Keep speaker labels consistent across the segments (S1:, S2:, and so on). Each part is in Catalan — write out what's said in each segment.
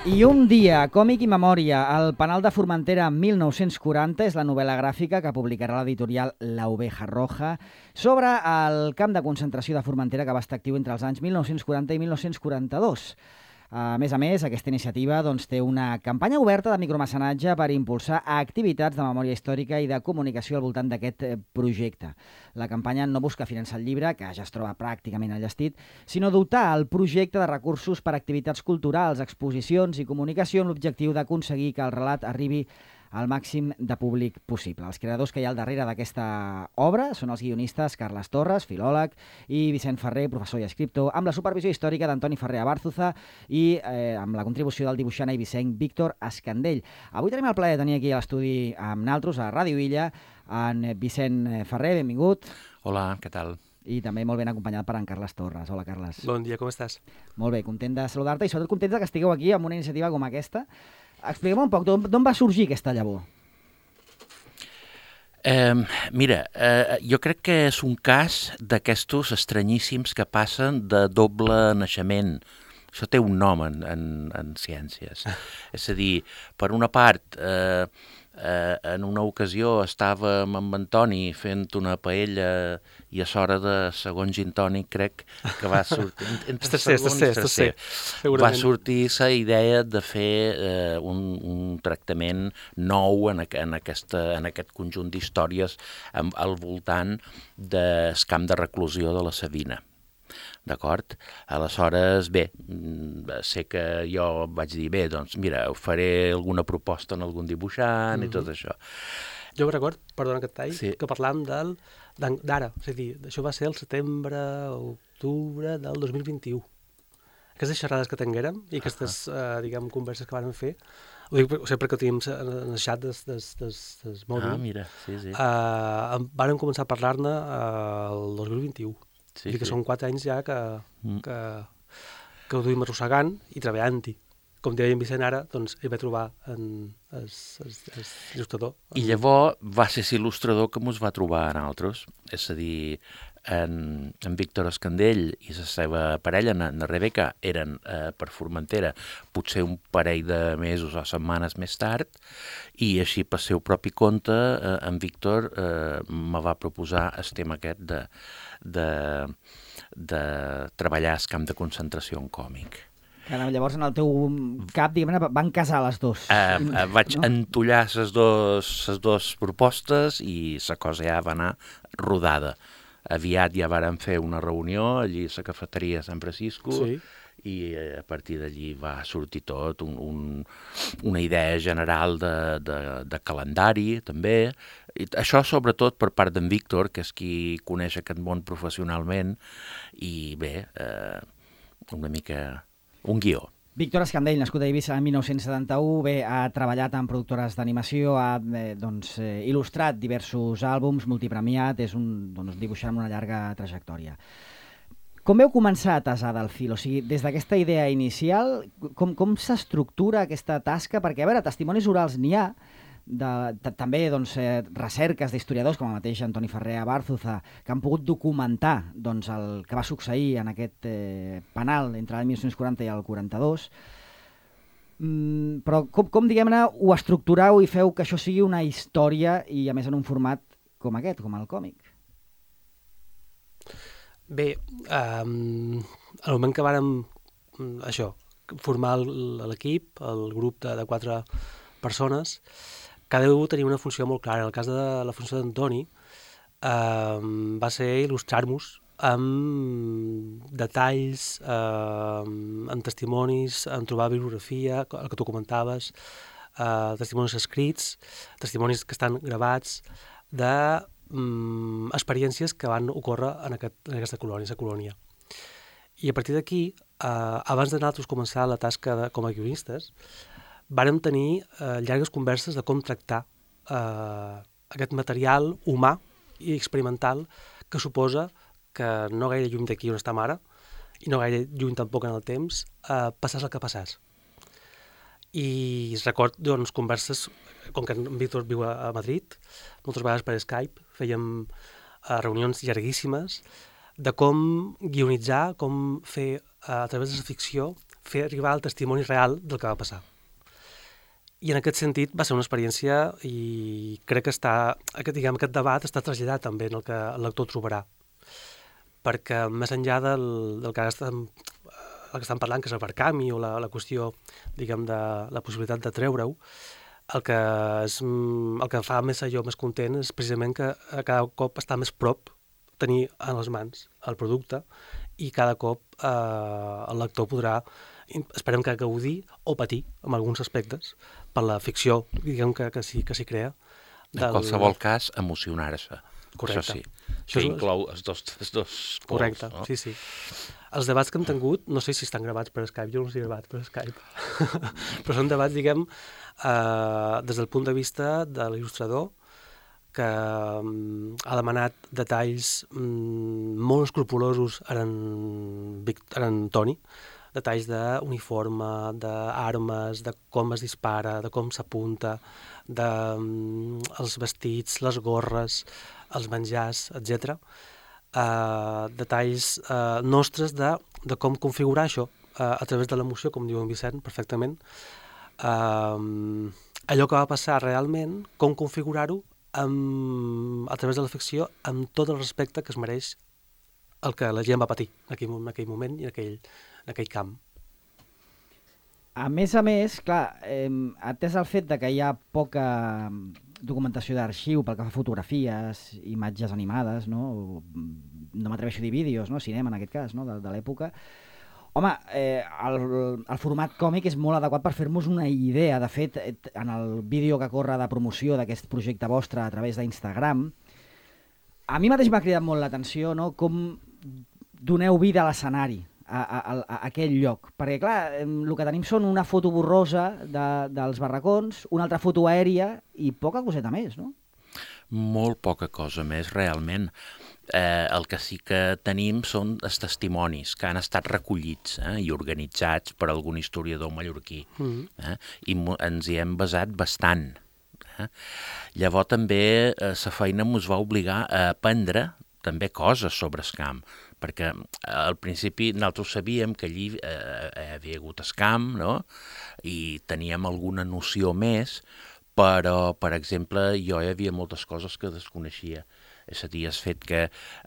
S1: I un dia, còmic i memòria, el Penal de Formentera 1940 és la novel·la gràfica que publicarà l'editorial La Oveja Roja sobre el camp de concentració de Formentera que va estar actiu entre els anys 1940 i 1942. A més, aquesta iniciativa té una campanya oberta de micromecenatge per impulsar activitats de memòria històrica i de comunicació al voltant d'aquest projecte. La campanya no busca finançar el llibre, que ja es troba pràcticament enllestit, sinó dotar el projecte de recursos per a activitats culturals, exposicions i comunicació amb l'objectiu d'aconseguir que el relat arribi al màxim de públic possible. Els creadors que hi ha al darrere d'aquesta obra són els guionistes Carles Torres, filòleg, i Vicent Ferrer, professor i escriptor, amb la supervisió històrica d'Antoni Ferrer Abárzuza i amb la contribució del dibuixant i Vicent Víctor Escandell. Avui tenim el plaer de tenir aquí a l'estudi amb naltros, a Ràdio Illa, en Vicent Ferrer, benvingut.
S2: Hola, què tal?
S1: I també molt ben acompanyat per en Carles Torres. Hola, Carles.
S3: Bon dia, com estàs?
S1: Molt bé, content de saludar-te i sobretot content que estigueu aquí amb una iniciativa com aquesta. Expliquem un poc, d'on va sorgir aquesta llavor?
S2: Mira, jo crec que és un cas d'aquestos estranyíssims que passen de doble naixement. Això té un nom en ciències. És a dir, per una part, en una ocasió estàvem amb Antoni fent una paella i a l'hora de segon gin tònic crec que va sortir...
S3: Tercer.
S2: Va sortir la idea de fer un tractament nou en aquest conjunt d'històries al voltant del camp de reclusió de la Savina. D'acord? Aleshores, bé, sé que jo vaig dir, bé, doncs mira, faré alguna proposta en algun dibuixant i tot això.
S3: Jo record, perdona que et talli,
S2: sí,
S3: que parlàvem d'ara, és a dir, això va ser el setembre, octubre del 2021. Aquestes xerrades que tinguérem i aquestes, diguem, converses que vàrem fer, ho dic perquè ho tenim en el xat del mòbil.
S2: Mira, sí.
S3: Vàrem començar a parlar-ne el 2021.
S2: Sí,
S3: que són 4 anys ja que ho duim arrossegant i treballant-hi. Com deia en Vicent ara, doncs hi va trobar l'il·lustrador.
S2: I llavors va ser l'il·lustrador que ens va trobar a nosaltres. És a dir, en Víctor Escandell i la seva parella, en Rebeca, eren per Formentera potser un parell de mesos o setmanes més tard, i així per seu propi compte en Víctor me va proposar el tema aquest de treballar al camp de concentració en còmic.
S1: Llavors en el teu cap, diguem-ne, van casar les dues.
S2: Vaig entollar les dues propostes i la cosa ja va anar rodada. Aviat ja vàrem fer una reunió allí a la cafeteria San Francisco, sí, i a partir d'allí va sortir tot, una idea general de calendari també. I això sobretot per part d'en Víctor, que és qui coneix aquest món professionalment, i bé, una mica un guió.
S1: Víctor Escandell, nascut a Eivissa en 1971, ha treballat en productores d'animació, ha il·lustrat diversos àlbums, multipremiat, és un dibuixant amb una llarga trajectòria. Com veu començar a tasar del fil? O sigui, des d'aquesta idea inicial, com s'estructura aquesta tasca? Perquè, a veure, testimonis orals n'hi ha, també recerques d'historiadors com el mateix Antoni Ferrer Abárzuza que han pogut documentar el que va succeir en aquest penal entre l'any 1940 i el 42, però com diguem-ne ho estructurau i feu que això sigui una història i a més en un format com aquest, com el còmic?
S3: Bé, al moment que vàrem formar l'equip, el grup de 4 persones, cada un tenia una funció molt clara. En el cas de la funció d'Antoni va ser il·lustrar-nos amb detalls, amb testimonis, en trobar bibliografia, el que tu comentaves, testimonis escrits, testimonis que estan gravats d'experiències que van ocórrer en aquesta colònia. I a partir d'aquí, abans de nosaltres començar la tasca com a guionistes, vàrem tenir llargues converses de com tractar aquest material humà i experimental que suposa que no gaire lluny d'aquí on estem ara, i no gaire lluny tampoc en el temps, passàs el que passàs. I record converses, com que en Víctor viu a Madrid, moltes vegades per Skype, fèiem reunions llarguíssimes de com guionitzar, com fer a través de la ficció fer arribar el testimoni real del que va passar. I en aquest sentit va ser una experiència i crec que aquest debat està traslladat també en el que el lector trobarà. Perquè més enllà del que estan parlant, que és el Verkami o la qüestió, diguem, de la possibilitat de treure-ho, el que fa més allò més content és precisament que cada cop està més prop tenir a les mans el producte i cada cop el lector podrà, esperem que gaudir o patir en alguns aspectes per la ficció, diguem, que s'hi crea.
S2: En qualsevol cas, emocionar-se.
S3: Correcte.
S2: Això sí, que inclou els dos pols.
S3: Correcte,
S2: no?
S3: sí. Els debats que hem tingut, no sé si estan gravats per Skype, jo no sé gravat per Skype, però són debats, diguem, des del punt de vista de l'il·lustrador, que ha demanat detalls molt escrupulosos en Toni, detalls d'uniforme, d'armes, de com es dispara, de com s'apunta, dels vestits, les gorres, els menjars, etc. Detalls nostres de com configurar això a través de l'emoció, com diu en Vicent perfectament. Allò que va passar realment, com configurar-ho a través de la ficció amb tot el respecte que es mereix el que la gent va patir en aquell moment i en aquell camp.
S1: A més, clar, atès el fet de que hi ha poca documentació d'arxiu pel que fa a fotografies, imatges animades, no m'atreveixo a dir vídeos, no? Cinema en aquest cas, no? de l'època. Home, el format còmic és molt adequat per fer-nos una idea. De fet, en el vídeo que corre de promoció d'aquest projecte vostre a través d'Instagram, a mi mateix m'ha cridat molt l'atenció, no? Com doneu vida a l'escenari, a aquell lloc. Perquè, clar, el que tenim són una foto borrosa dels barracons, una altra foto aèria i poca coseta més, no?
S2: Molt poca cosa més, realment. El que sí que tenim són els testimonis que han estat recollits i organitzats per algun historiador mallorquí. I ens hi hem basat bastant. Llavors també la feina ens va obligar a aprendre també coses sobre el camp, perquè al principi nosaltres sabíem que allí havia hagut el camp, no? I teníem alguna noció més, però, per exemple, jo hi havia moltes coses que desconeixia. És a dir, el fet que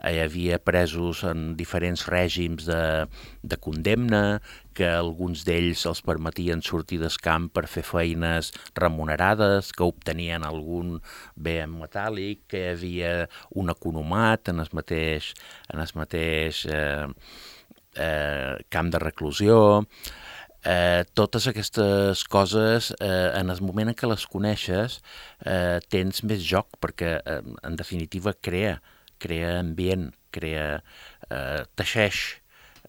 S2: hi havia presos en diferents règims de condemna, que alguns d'ells els permetien sortir del camp per fer feines remunerades, que obtenien algun bé en metàl·lic, que hi havia un economat en el mateix camp de reclusió. Totes aquestes coses, en el moment en què les coneixes, tens més joc, perquè en definitiva crea ambient, teixeix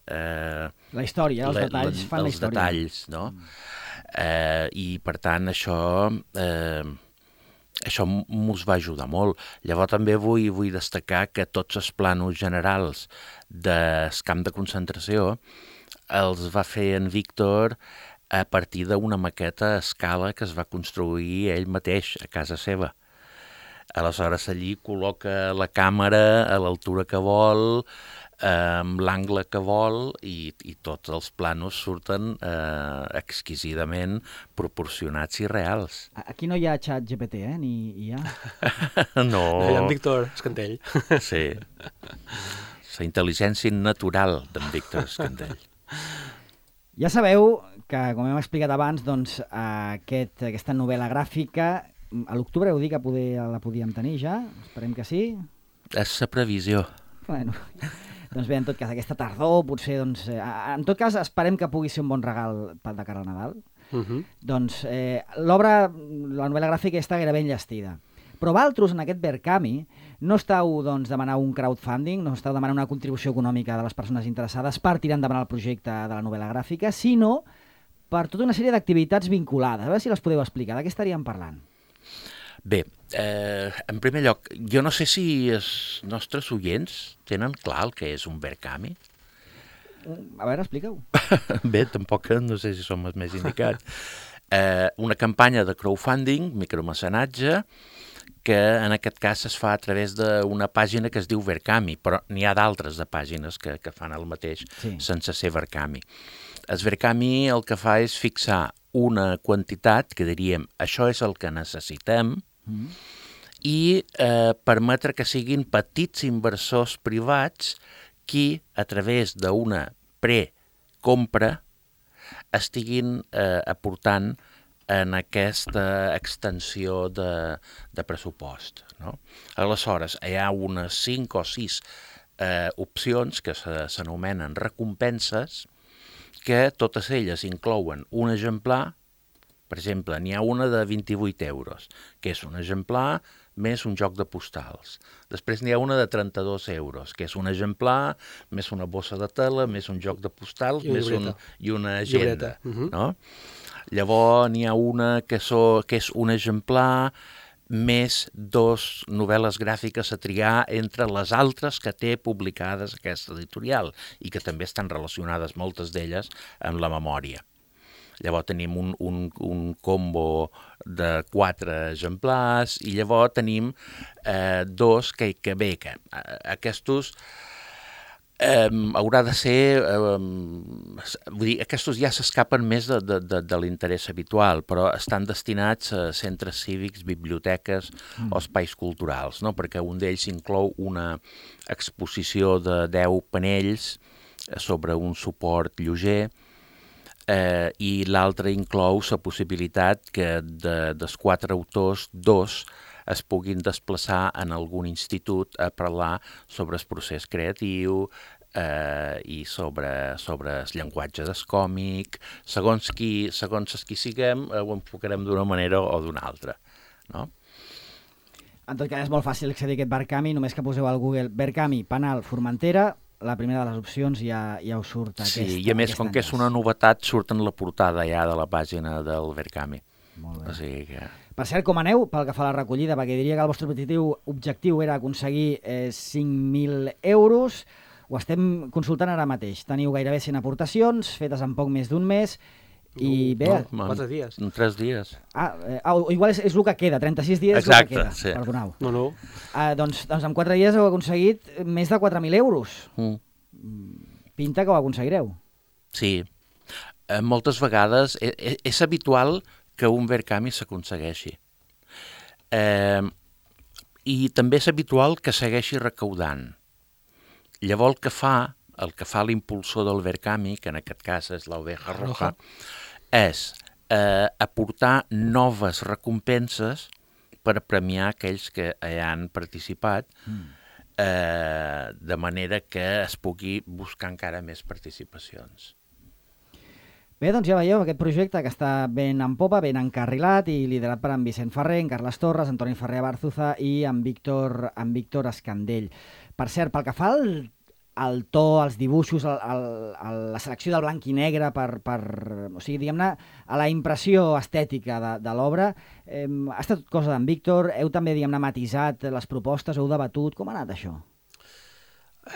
S1: la història, els detalls fan la història.
S2: Detalls, no? I per tant això mos va ajudar molt. Llavors també vull destacar que tots els plànols generals del camp de concentració els va fer en Víctor a partir d'una maqueta a escala que es va construir ell mateix a casa seva. Aleshores allí col·loca la càmera a l'altura que vol, amb l'angle que vol, i tots els plànols surten exquisidament proporcionats i reals.
S1: Aquí no hi ha xat GPT, ni hi ha?
S2: No.
S3: Hi ha en Víctor Escantell.
S2: Sí. La intel·ligència natural d'en Víctor Escantell.
S1: Ja sabeu que, com hem explicat abans, doncs, aquesta novel·la gràfica, a l'octubre heu dit que la podíem tenir ja? Esperem que sí.
S2: És la previsió.
S1: Bueno, doncs bé, en tot cas, aquesta tardor, potser, doncs, en tot cas, esperem que pugui ser un bon regal de cara al Nadal. Doncs l'obra, la novel·la gràfica està gairebé enllestida. Però vosaltres, en aquest Verkami, no esteu demanant un crowdfunding, no esteu demanant una contribució econòmica de les persones interessades per tirar endavant el projecte de la novel·la gràfica, sinó per tota una sèrie d'activitats vinculades. A veure si les podeu explicar. De què estaríem parlant?
S2: Bé, en primer lloc, jo no sé si els nostres oients tenen clar el que és un Verkami.
S1: A veure, explica-ho.
S2: Bé, tampoc no sé si som els més indicats. Una campanya de crowdfunding, micromecenatge, que en aquest cas es fa a través d'una pàgina que es diu Verkami, però n'hi ha d'altres de pàgines que fan el mateix sense ser Verkami. El Verkami el que fa és fixar una quantitat que diríem això és el que necessitem i permetre que siguin petits inversors privats qui, a través d'una precompra, estiguin aportant en aquesta extensió de pressupost. No? Aleshores, hi ha unes 5 o 6 opcions que s'anomenen recompenses, que totes elles inclouen un exemplar. Per exemple, n'hi ha una de 28 euros, que és un exemplar més un joc de postals. Després n'hi ha una de 32 euros, que és un exemplar, més una bossa de tela, més un joc de postals, i una agenda. No? Llavors n'hi ha una que és un exemplar més 2 novel·les gràfiques a triar entre les altres que té publicades aquesta editorial i que també estan relacionades, moltes d'elles, amb la memòria. Llavors tenim un combo de 4 exemplars i llavors tenim 2 que aquests haurà de ser... vull dir, aquests ja s'escapen més de l'interès habitual, però estan destinats a centres cívics, biblioteques o espais culturals, no? Perquè un d'ells inclou una exposició de 10 panells sobre un suport lleuger i l'altre inclou la possibilitat que dels 4 autors, 2 es puguin desplaçar en algun institut a parlar sobre el procés creatiu i sobre el llenguatge del còmic. Segons qui siguem, ho enfocarem d'una manera o d'una altra. No?
S1: En tot cas, és molt fàcil accedir a aquest Verkami, només que poseu al Google Verkami Penal Formentera, la primera de les opcions ja us surt aquesta.
S2: Sí, i a més, com que és una novetat, surt en la portada ja de la pàgina del Verkami.
S1: Molt bé.
S2: O sigui que...
S1: Per cert, com aneu pel que fa a la recollida? Perquè diria que el vostre objectiu era aconseguir 5.000 euros. Ho estem consultant ara mateix. Teniu gairebé 100 aportacions, fetes en poc més d'un mes. I bé...
S3: 4 dies.
S2: En 3 dies.
S1: Igual és el que queda, 36 dies.
S2: Exacte,
S1: és el que queda.
S2: Sí.
S1: Perdoneu.
S3: No.
S1: Doncs en 4 dies heu aconseguit més de 4.000 euros. Pinta que ho aconseguireu.
S2: Sí. Moltes vegades és habitual que un Verkami s'aconsegueixi. I també és habitual que segueixi recaudant. Llavors el que fa l'impulsor del Verkami, que en aquest cas és l'Oveja Roja, és aportar noves recompenses per premiar aquells que hi han participat, de manera que es pugui buscar encara més participacions.
S1: Bé, doncs ja veieu aquest projecte que està ben en popa, ben encarrilat i liderat per en Vicent Ferrer, en Carles Torres, Antoni Ferrer Bárzuza i en Víctor Escandell. Per cert, pel que fa al to, als dibuixos, la selecció del blanc i negre, o sigui, diguem-ne, a la impressió estètica de l'obra, ha estat cosa d'en Víctor, heu també, diguem-ne, matisat les propostes, heu debatut, com ha anat això?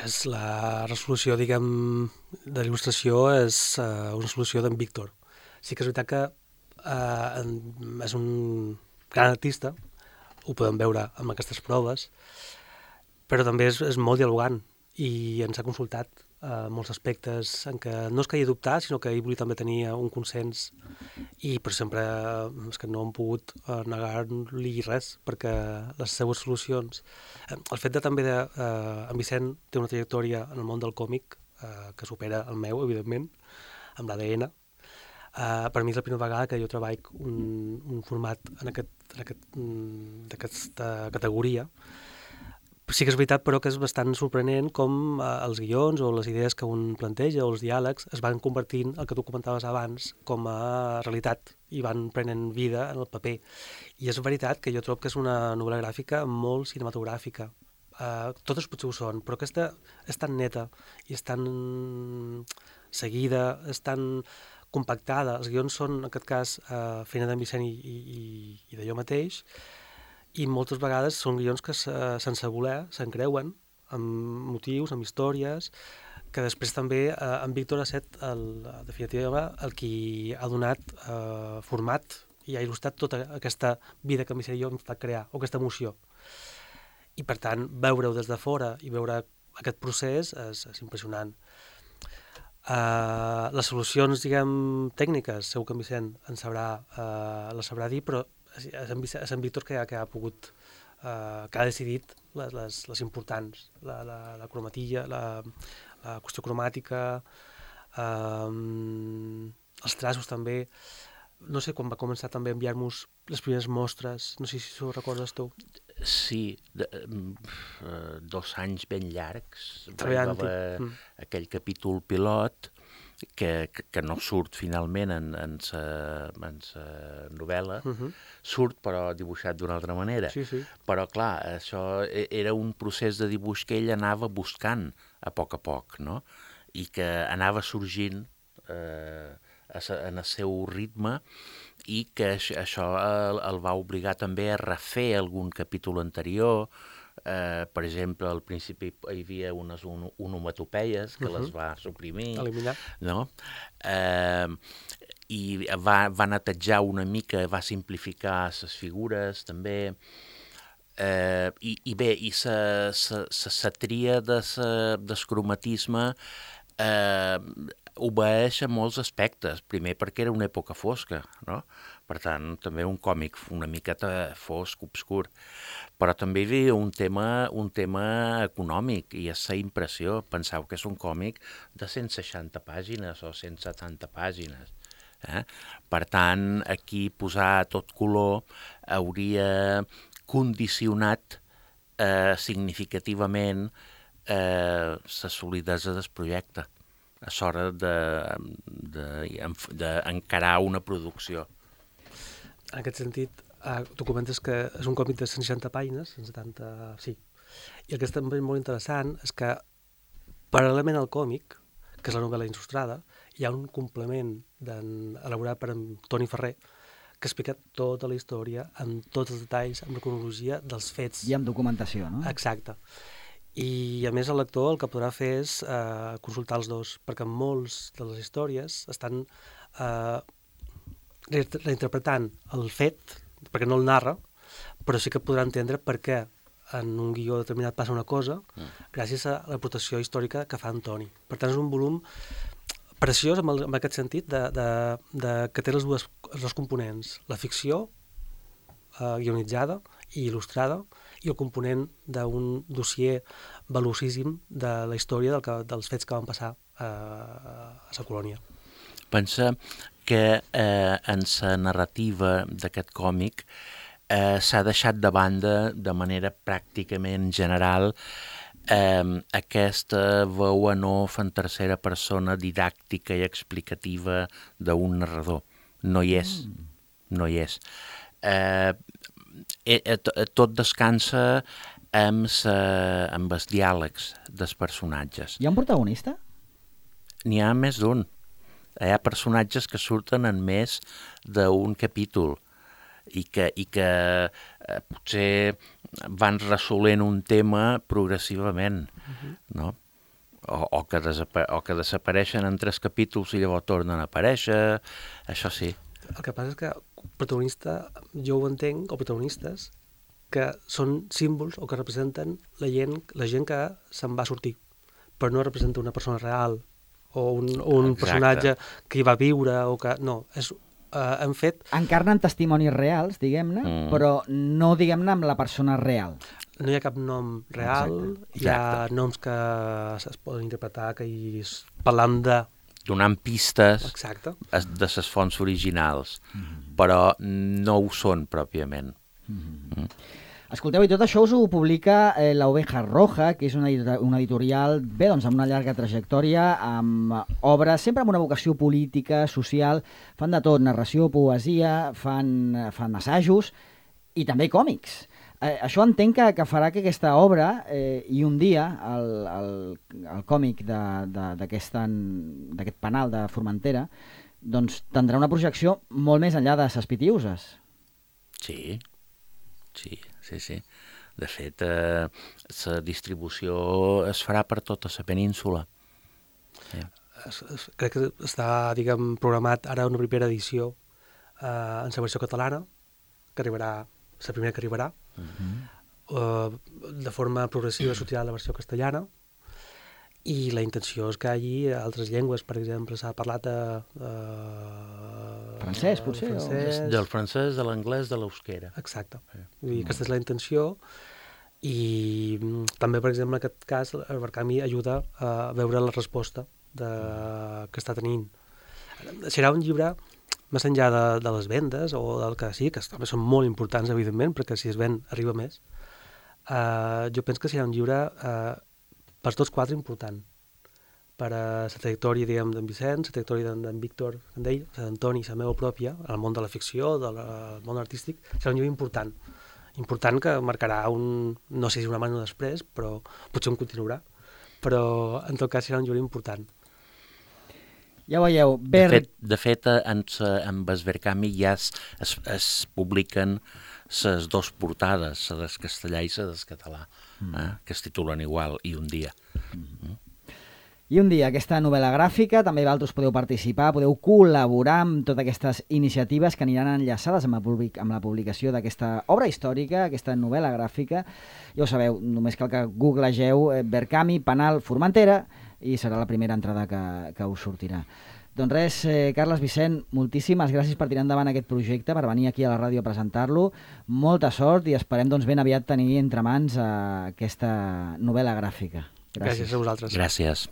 S3: És la resolució, diguem, de l'il·lustració és una resolució d'en Víctor. Sí que és veritat que és un gran artista, ho podem veure amb aquestes proves, però també és molt dialogant i ens ha consultat molts aspectes en què no es calia dubtar, sinó que ell volia també tenir un consens i per sempre és que no hem pogut negar-li res perquè les seues solucions... El fet de també en Vicent té una trajectòria en el món del còmic que supera el meu, evidentment, amb l'ADN. Per mi és la primera vegada que jo treballo un format d'aquesta categoria. Sí que és veritat, però, que és bastant sorprenent com els guions o les idees que un planteja o els diàlegs es van convertint, el que tu comentaves abans, com a realitat i van prenent vida en el paper. I és veritat que jo trobo que és una novel·la gràfica molt cinematogràfica. Totes potser ho són, però aquesta és tan neta i és tan seguida, és tan compactada. Els guions són, en aquest cas, feina d'en Vicent i de jo mateix, i moltes vegades són guions que sense voler s'encreuen amb motius, amb històries, que després també en Víctor ha estat, en definitiva, el qui ha donat format i ha il·lustrat tota aquesta vida que m'he jo hem fet crear, o aquesta emoció. I per tant, veure-ho des de fora i veure aquest procés és impressionant. Les solucions, diguem, tècniques, segur que en Vicent les sabrà dir, però és en Víctor que ha pogut, que ha decidit les importants, la cromatilla, la qüestió cromàtica, els traços també. No sé quan va començar també a enviar-nos les primeres mostres, no sé si ho recordes tu.
S2: Sí, 2 anys ben llargs.
S3: Treballant-hi.
S2: Aquell capítol pilot que no surt finalment en sa novel·la, surt però dibuixat d'una altra manera.
S3: Sí.
S2: Però clar, això era un procés de dibuix que ell anava buscant a poc, no? I que anava sorgint en el seu ritme i que això el va obligar també a refer algun capítol anterior. Per exemple, al principi hi havia unes onomatopeies que les va suprimir.
S3: Eliminar.
S2: No? I va netejar una mica, va simplificar les figures també. I bé, i la tria del cromatisme obeeix a molts aspectes. Primer perquè era una època fosca, no? Per tant, també un còmic una miqueta fosc, obscur. Però també hi havia un tema econòmic i és la impressió. Penseu que és un còmic de 160 pàgines o 170 pàgines. Per tant, aquí posar tot color hauria condicionat significativament la solidesa del projecte a l'hora d'encarar una producció.
S3: En aquest sentit, tu comentes que és un còmic de 160 pàgines, 170, sí. I el que és també molt interessant és que, paral·lelament al còmic, que és la novel·la il·lustrada, hi ha un complement elaborat per en Toni Ferrer, que explica tota la història, amb tots els detalls, amb la cronologia dels fets.
S1: I amb documentació, no?
S3: Exacte. I, a més, el lector el que podrà fer és consultar els dos, perquè molts de les històries estan reinterpretant el fet, perquè no el narra, però sí que podrà entendre per què en un guió determinat passa una cosa gràcies a l'aportació històrica que fa Antoni. Per tant, és un volum preciós en aquest sentit que té els dos components, la ficció guionitzada i il·lustrada i el component d'un dossier velocíssim de la història dels fets que van passar a la colònia.
S2: Pensa que en la narrativa d'aquest còmic s'ha deixat de banda de manera pràcticament general aquesta veu en off en tercera persona didàctica i explicativa d'un narrador. No hi és. No hi és. Tot descansa amb els diàlegs dels personatges.
S1: Hi ha un protagonista?
S2: N'hi ha més d'un. Hi ha personatges que surten en més d'un capítol i que potser van resolent un tema progressivament, no? O que desapareixen en 3 capítols i llavors tornen a aparèixer, això sí.
S3: El que passa és que protagonista, jo ho entenc, o protagonistes, que són símbols o que representen la gent que se'n va sortir, però no representa una persona real o un personatge que hi va viure o que... No, han fet...
S1: Encarnen testimonis reals, diguem-ne, però no, diguem-ne, amb la persona real.
S3: No hi ha cap nom real, hi ha noms que es poden interpretar, que parlam de...
S2: Donant pistes
S3: de
S2: les fonts originals, però no ho són pròpiament.
S1: Escolteu, i tot això us ho publica La Oveja Roja, que és una editorial, bé, doncs, amb una llarga trajectòria, amb obres, sempre amb una vocació política, social, fan de tot, narració, poesia, fan assajos i també còmics. Això entenc que farà que aquesta obra i un dia el còmic d'aquest penal de Formentera doncs tindrà una projecció molt més enllà de ses Pitiuses.
S2: Sí. De fet, la distribució es farà per tota la península.
S3: Crec que està, diguem, programat ara una primera edició en la versió catalana, que arribarà, la primera que arribarà. De forma progressiva sortirà la versió castellana, i la intenció és que hi hagi altres llengües. Per exemple, s'ha parlat de
S1: francès, potser?
S2: Del francès, de l'anglès, de l'eusquera.
S3: Exacte. I aquesta és la intenció, i també, per exemple, en aquest cas, el Berkami ajuda a veure la resposta que està tenint. Serà un llibre, més enllà de les vendes, o del que sí, que també són molt importants, evidentment, perquè si es ven arriba més. Jo penso que serà un llibre per tots quatre important. Per a la trajectòria, diguem, d'en Vicenç, la trajectòria d'en Víctor, d'Antoni, la meva pròpia, en el món de la ficció, del món artístic, serà un llibre important. Important, que marcarà no sé si una mano després, però potser un continuarà, però en tot cas serà un llibre important.
S1: Ja ho veieu.
S2: De fet, amb el Berkami ja es publiquen les dues portades, la del castellà i la del català, que es titulen igual, I un dia.
S1: I un dia, aquesta novel·la gràfica, també vosaltres podeu participar, podeu col·laborar amb totes aquestes iniciatives que aniran enllaçades amb la publicació d'aquesta obra històrica, aquesta novel·la gràfica. Ja ho sabeu, només cal que googlegeu Berkami, Penal, Formentera, i serà la primera entrada que us sortirà. Doncs res, Carles, Vicent, moltíssimes gràcies per tirar endavant aquest projecte, per venir aquí a la ràdio a presentar-lo. Molta sort i esperem ben aviat tenir entre mans aquesta novel·la gràfica.
S3: Gràcies a vosaltres.
S2: Gràcies.